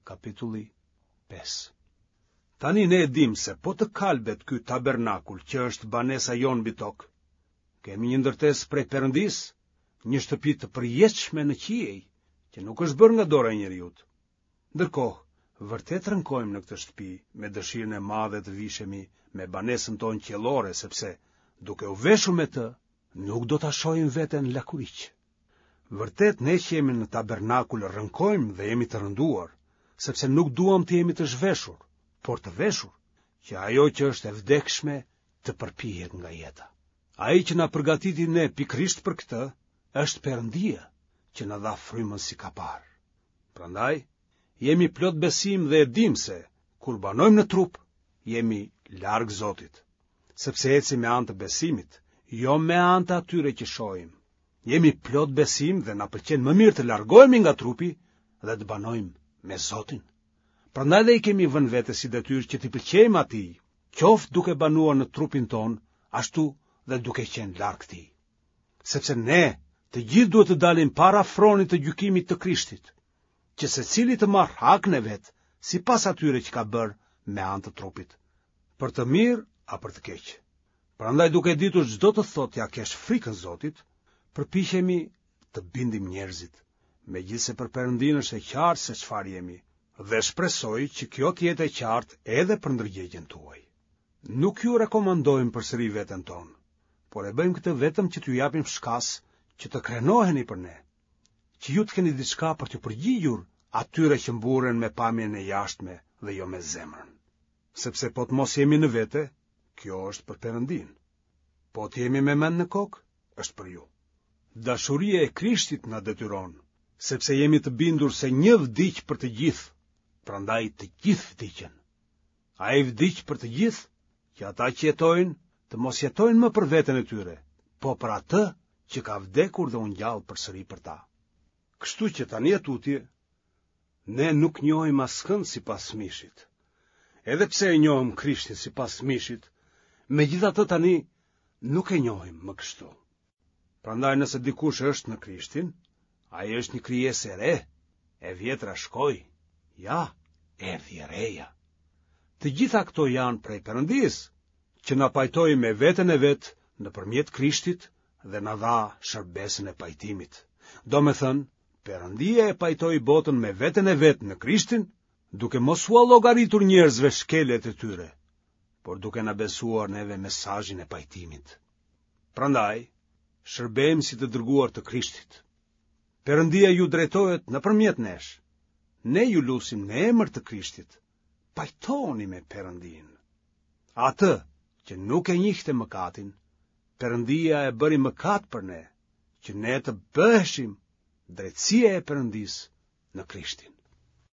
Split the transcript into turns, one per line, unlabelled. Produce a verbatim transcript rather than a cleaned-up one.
Kapitulli pesë. Tani ne e dimë se po të kalbet ky tabernakul që është banesa jonë mbi tokë, kemi një ndërtesë prej Perëndisë, një shtëpi të përjetshme në qiej, që nuk është bërë nga dora e njeriut. Ndërkohë, vërtet rënkojmë në këtë shtëpi me dëshirën e madhe të vishemi me banesën tonë qiellore, sepse duke u veshur me të, nuk do ta shohim veten lakuriq. Vërtet ne që jemi në tabernakul rënkojmë dhe jemi të rënduar, sepse nuk duam të jemi të zhveshur, por të veshur, që ajo që është e vdekshme të përpihet nga jeta. Ai që na përgatiti ne pikërisht për këtë, është Perëndia, që na dha frymën si kapar. Prandaj, jemi plot besim dhe e dimë se, kur banojmë në trup, jemi larg Zotit, sepse ecim me anë të besimit, jo me anë të atyre që shohim. Jemi plot besim dhe na pëlqen më mirë të largohemi nga trupi dhe të banojmë me Zotin. Prandaj dhe i kemi vënë vetes si detyrë që t'i pëlqejmë atij, qoftë duke banuar në trupin tonë, ashtu dhe duke qenë larg tij. Sepse ne të gjithë duhet të dalim para fronit të gjykimit të Krishtit, që secili të marrë hakun e vet, sipas atyre që ka bërë me anë të trupit, për të mirë a për të keq. Prandaj duke ditur ç'do të thotë t'ia kesh frikën Zotit, përpiqemi të bindim njerëzit, megjithëse për Perëndinë është e qartë se çfarë jemi, dhe shpresoj që kjo të jetë e qartë edhe për ndërgjegjen tuaj. Nuk ju rekomandojmë përsëri veten tonë, por e bëjmë këtë vetëm që t'ju japim shkas që të krenoheni për ne, që ju të keni diçka për t'u përgjigjur atyre që mburren me pamjen e jashtme dhe jo me zemrën. Sepse po të mos jemi në vete, kjo është për Perëndinë. Po të jemi me mend në kokë, është për ju. Dashuria e Krishtit na detyron, sepse jemi të bindur se një vdiq për të gjithë, prandaj të gjithë vdiqën. Ai vdiq për të gjithë, që ata që jetojnë, të mos jetojnë më për veten e tyre, po për atë që ka vdekur dhe u ngjall përsëri për ta. Kështu që tani e tutje, ne nuk njohim askënd sipas mishit. Edhe pse e njohëm Krishtin sipas mishit, megjithatë tani nuk e njohim më kështu. Prandaj nëse dikush është në Krishtin, ai është një krijesë e re, e vjetra shkoi, ja, erdhi e reja. Të gjitha këto janë prej Perëndisë, që na pajtoi me veten e vet nëpërmjet Krishtit dhe na dha shërbesën e pajtimit. Domethënë, Perëndia e pajtoi botën me veten e vet në Krishtin, duke mos ua llogaritur njerëzve shkeljet e tyre, por duke na besuar neve mesazhin e pajtimit. Prandaj, shërbejmë si të dërguar të Krishtit. Perëndia ju drejtohet nëpërmjet nesh. Ne ju lusim në emër të Krishtit. Pajtohuni me Perëndinë. Atë që nuk e njihte mëkatin, Perëndia e bëri mëkat për ne, që ne të bëheshim drejtësia e Perëndisë në Krishtin.